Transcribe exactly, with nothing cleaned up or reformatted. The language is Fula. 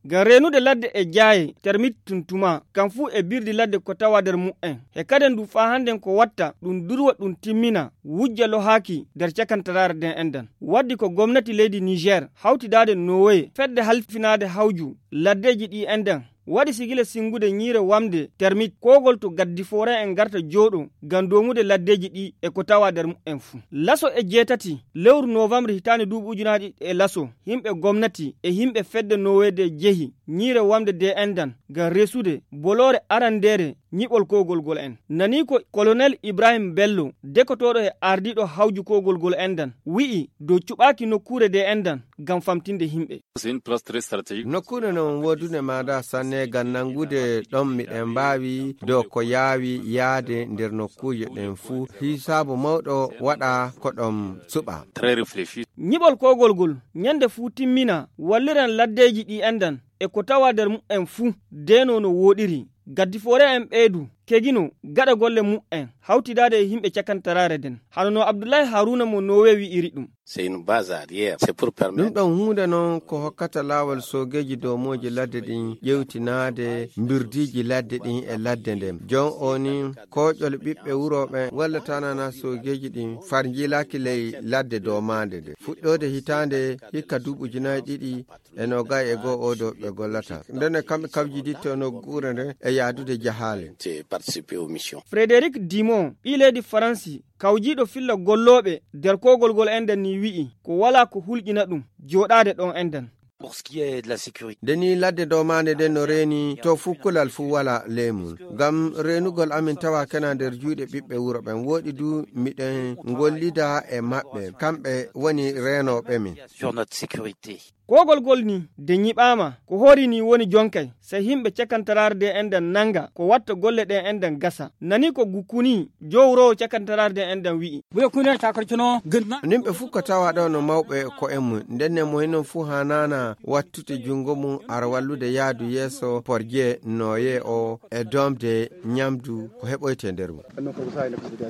Ngam reenude ladde e jaaye, termit tun tuma, kam fuu e birdi ladde ko tawa nder mu'en. He kaden du faa hannden ko watta, ɗum durwa ɗum timmina, wujja lohaaki nder cakantaraare nden enɗan. Waddi ko gomnati leydi Niger, hawtidaade Nowoye, fedde halfinaade hawju, laddeeji ɗi enɗan. Waɗi sigila sinngude ñiire wamde termit koogol to gaddi foore en ngarta jooɗo ngam doomude laddeeji ɗi e ko tawa nder mu'en fuu. Laso e jeetati lewru novembre hitaande duuɓi ujunaaji ɗiɗi e laso, yimɓe gomnati e yimɓe fedde Noweede jehi ñiire wamde de enɗan ngam resude boloore arandeere ñiɓol koogol gol en. Nani ko Colonel Ibrahim Bello, dekotooɗo e ardiiɗo hawju koogol gol enɗan, wi'i dow cuɓaaki nokkuure de enɗan ngam famtinde yimɓe. Nokkuure non woodunde maada sanne ngam nanngude ɗon miɗen mbaawi dow ko yaawi yaade nder nokkuuje ɗen fuu. Hisaabu mawɗo waɗa ko ɗon suɓa. Ñiɓol koogol gol ñande fuu timmina walliran laddeeji ɗi enɗan e ko tawa nder mu'en fuu deenoo no wooɗiri. Gaddi foore en ɓeydu kegino gaɗa golle mu'en hawtidaade e yimɓe cakantaraare nden. Hano no Abdullahi Haruna mo Nowe wi'iri ɗum. C'est une base arrière. C'est pour permettre. Ɗum ɗon huunde non ko hokkata laawol soogeeji doomooji ladde ɗin ƴewtinaade mbirdiiji ladde ɗin e ladde nden. Jon o ni kooƴol ɓiɓɓe wuro ɓen walla tanana soogeeji ɗin far njiilaaki ley ladde doomaande nde. Fuɗɗoode hitaande hikka duuɓi ujunaaji ɗiɗi e noogay e goo oo ɗo ɓe gollata. Nden e kamɓe kawjiditto nokkuure nden e yaadude jahaale. C'est participer aux missions. Frédéric Dumont, ɓii leydi Faransi, kawjiiɗo filla gollooɓe nder koogol gol enɗan ni wi'i, ko walaa ko hulƴina ɗum, jooɗaade ɗon enɗan. Pour ce qui est de la sécurité. Nde ni ladde doomaande nden no reeni to fuu kulal fuu walaa leemum. Ngam reenugol amin tawa kena nder juuɗe ɓiɓɓe wuro ɓen. Wooɗi du miɗen ngollida e maɓɓe. Kamɓe woni reenooɓe min. Sur notre sécurité. Koogol gol ni de ñiɓaama, ko hoori ni woni jonkay, sey yimɓe cakantaraare de enɗan nannga, ko watta golle ɗen enɗan gasa. Nani ko Gukkuni, jowroowo cakantaraare de enɗan wi'i. Ɓe kuna takar cuno gënna. Nimɓe fuu ko tawa ɗo no mawɓe ko en mum. Nden ne mo hinon fuu haanaana wattude junngo mum ara wallude yaadu yeeso porje nooye o e doomde ñamdu ko heɓoyte nder mum.